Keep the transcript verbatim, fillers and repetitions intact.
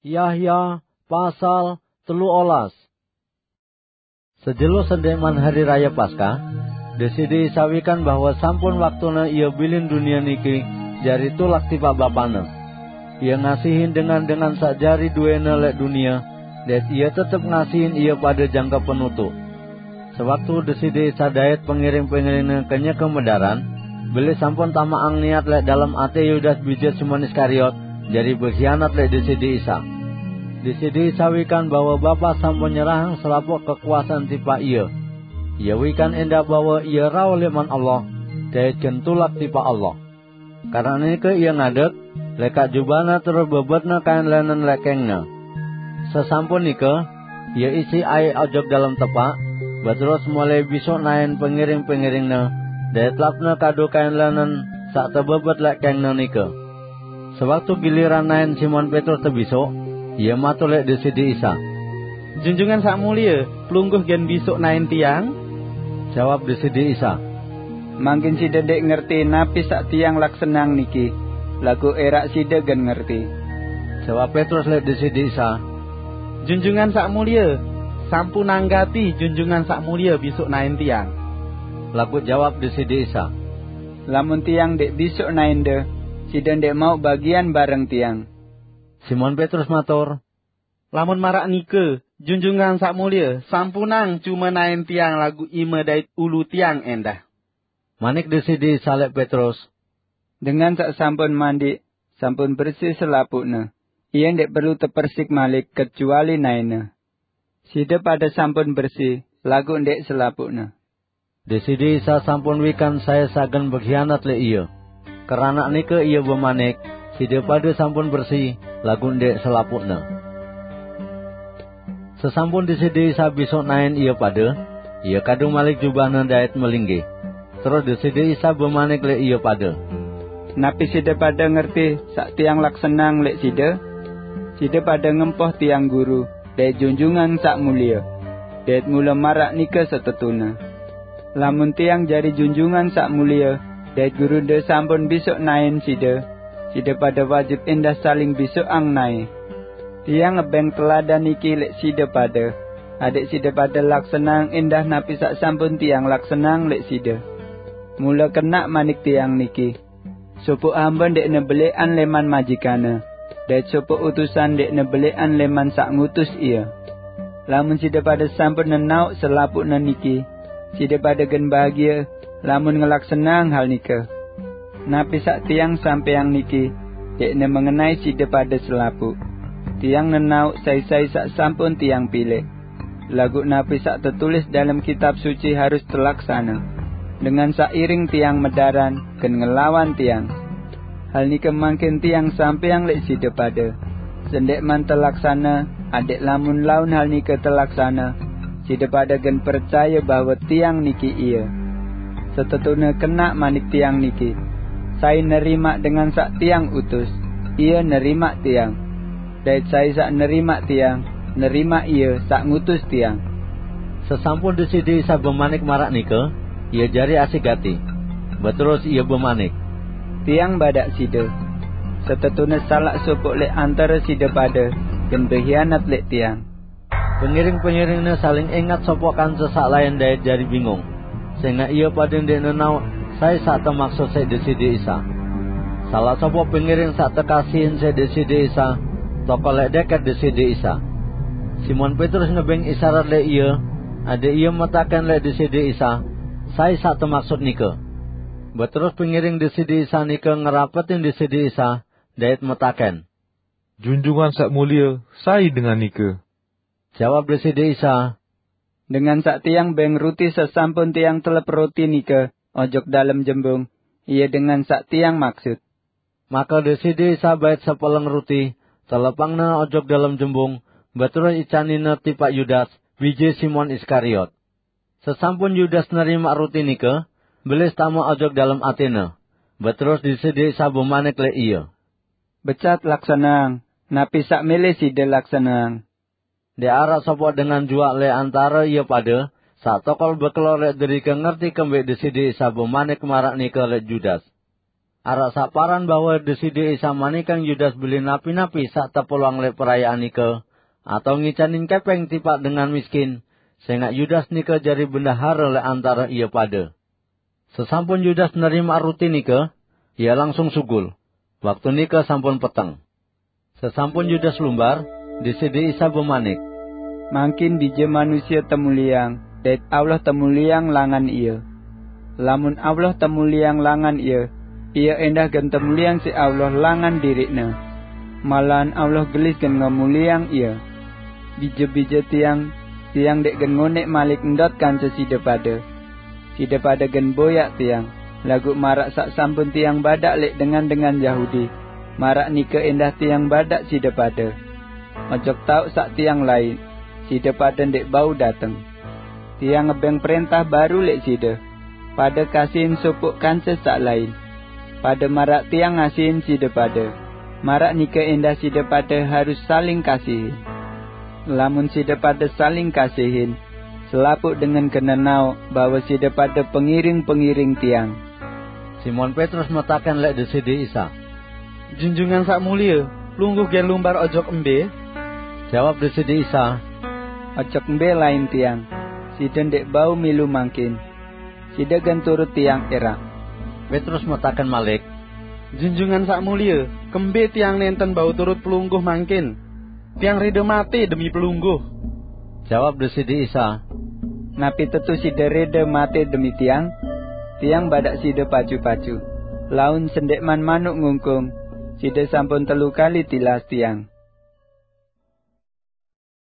Yahya pasal telu olas. Sejelo sendek man hari raya Paskah, Deside Isa wikan bahwa sampun waktune Ia bilin dunia niki jari tulak tipaq Bapane. Ia ngasihin dengan-dengan saq jari duene leq dunie, dait Ia tetep ngasihin ie pade jangke penutuq. Sewaktu Deside Isa dait pengiring-pengiringne kenyeke medaran, bilih sampun tamaqang niat leq dalem ate Yudas bije Simon Iskariot jari bekhianat leq Deside Isa. Deside Isa wikan bahwe Bapa sampun nyerahang selapuq kekuasan tipaq Ie. Ie wikan endah bahwe Ie rauh leqman Allah, dait gen tulak tipaq Allah. Keranaqnike Ie ngadek, lekaq jubahne terus bebetne kain lenen leq kengkne. Sesampun nike, Ie isiq aiq ojok dalem tepaq, beterus mole bisoq naen pengiring-pengiringne, dait lapne kadu kain lenen saq tebebet leq kengkne nike. Sewaktu giliran naen Simon Petrus tebisoq, ie matur leq Deside Isa, "Junjungan Saq Mulie, pelungguh gen bisoq naen tiang?" Jawab Deside Isa, "Mangkin side ndeq ngerti napi saq tiang laksaneang niki, laguq eraq side gen ngerti." Jawab Petrus leq Deside Isa, "Junjungan Saq Mulie, sampunang gati Junjungan Saq Mulie bisoq naen tiang." Laguq jawab Deside Isa, "Lamun tiang ndeq bisoq naende, side ndeq mauq bagian bareng tiang." Simon Petrus matur, "Lamun maraq nike, Junjungan Saq Mulie, sampunang cume naen tiang laguq ime dait ulu tiang endah." Manik Deside Isa leq Petrus, "Dengan saq sampun mandiq, sampun bersi selapuqne. Ie ndeq perlu tepersik malik kecuali naene. Side pade sampun bersi, laguq ndeq selapuqne." Deside Isa sampun wikan sai saq gen bekhianat leq Ie. Keranaq nike Ie bemanik, "Side pade sampun bersi, laguq ndeq selapuqne." Sesampun Deside Isa bisoq naen ie pade, Ie kadu malik jubahne dait melinggih. Terus Deside Isa bemanik leq ie pade, "Napi side pade ngerti saq tiang laksaneang leq side? Side pade ngempoh tiang Guru dait Junjungan Saq Mulie, dait mule maraq nike setetune. Lamun tiang jari Junjungan Saq Mulie, dait Gurunde sampun bisoq naen side, side pade wajib endah saling bisoqang nae. Tiang ngebeng teladan niki leq side pade, adaq side pade laksaneang endah napi saq sampun tiang laksaneang leq side. Mule kenaq manik tiang niki, sopoq hambe ndeqne beleqan leman majikanne, dait sopoq utusan ndeqne beleqan leman saq ngutus ie. Lamun side pade sampun nenaoq selapuqne niki, side pade gen bahagie lamun ngelaksaneang hal nike. Napi saq tiang sampeang niki ndeqne mengenai side pade selapuq. Tiang nenaoq sai-sai saq sampun tiang pilek. Laguq napi saq tetulis dalem Kitab Suci harus telaksane, 'Dengan saq iring tiang medaran gen ngelawan tiang.' Hal nike mangkin tiang sampeang leq side pade, sendekman telaksane, adaq lamun laun hal nike telaksane, side pade gen percaye bahwe tiang niki ie. Setetune kenaq manik tiang niki, 'Sai nerimaq dengan saq tiang utus, ie nerimaq tiang. Dait sai saq nerimaq tiang, nerimaq ie saq ngutus tiang.'" Sesampun Deside Isa bemanik maraq nike, Ie jari asik gati. Beterus Ie bemanik, "Tiang badaq side, setetune salaq sopoq leq antare side pade gen behianat leq tiang." Pengiring-pengiringne saling engat sopoq kance saq lain dait jari bingung, sengaq ie pade ndeq nenaoq sai saq temaksut siq Deside Isa. Salaq sopoq pengiring saq tekasihin siq Deside Isa tokol leq deket Deside Isa. Simon Petrus nebeng isarat leq ie, adaq ie metaken leq Deside Isa, sai saq temaksut nike. Beterus pengiring Deside Isa nike ngerapetin Deside Isa dait metaken, "Junjungan Saq Mulie, sai dengan nike?" Jawab Deside Isa, "Dengan saq tiang beng ruti sesampun tiang telep ruti nike ojok dalem jembung, ie dengan saq tiang maksut." Make Deside Isa bait sepeleng ruti, telepangne ojok dalem jembung, beterus icaninne tipaq Yudas, bije Simon Iskariot. Sesampun Yudas nerimaq ruti nike, belis tame ojok dalem atene. Beterus Deside Isa bemanik leq ie, "Becat laksaneang napi saq mele side laksaneang." Ndeq araq sopoq dengan juaq leq antare ie pade saq tokol bekelor leq derike ngerti kembeq Deside Isa bemanik maraq nike leq Yudas. araq saq paran bahwe Deside Isa manikang Yudas beli napi-napi saq tepulwang leq perayaan nike, atao ngicanin kepeng tipaq dengan miskin, sengaq Yudas nike jari bendahare leq antare ie pade. Sesampun Yudas nerimaq ruti nike, ie langsung sugul. Waktu nike sampun peteng. Sesampun Yudas lumbar, Deside Isa bemanik, "Mangkin Bije Manusie temulieang, dait Allah temulieang langan Ie. Lamun Allah temulieang langan Ie, Ie endah gen temulieang siq Allah langan diriq-Ne. Malahan Allah gelis gen ngemulieang Ie. Bije-bije Tiang, Tiang ndeq gen ngoneq malik ndot kance side pade. Side pade gen boyaq Tiang, laguq maraq saq sampun Tiang badaq leq dengan-dengan Yahudi, maraq nike endah Tiang badaq side pade. Ojok taoq saq Tiang lain, side pade ndeq bau dateng. Tiang ngebeng prentah baru leq side: Pade kasihin sopoq kance saq lain. Pade maraq Tiang ngasihin side pade, maraq nike endah side pade harus saling kasihin. Lamun side pade saling kasihin, selapuq dengan gen nenaoq bahwe side pade pengiring-pengiring Tiang." Simon Petrus metaken leq Deside Isa, "Junjungan Saq Mulie, Pelungguh gen lumbar ojok embe?" Jawab Deside Isa, "Ojok embe lain Tiang, side ndeq bau milu mangkin. Side gen turut Tiang eraq." Petrus metaken malik, "Junjungan Saq Mulie, kembe tiang nenten bau turut Pelungguh mangkin? Tiang rede mate demi Pelungguh." Jawab Deside Isa, "Napi tetu side rede mate demi Tiang? Tiang badaq side pacu-pacu, laun sendeqman manuk ngungkung, side sampun telu kali tilas Tiang."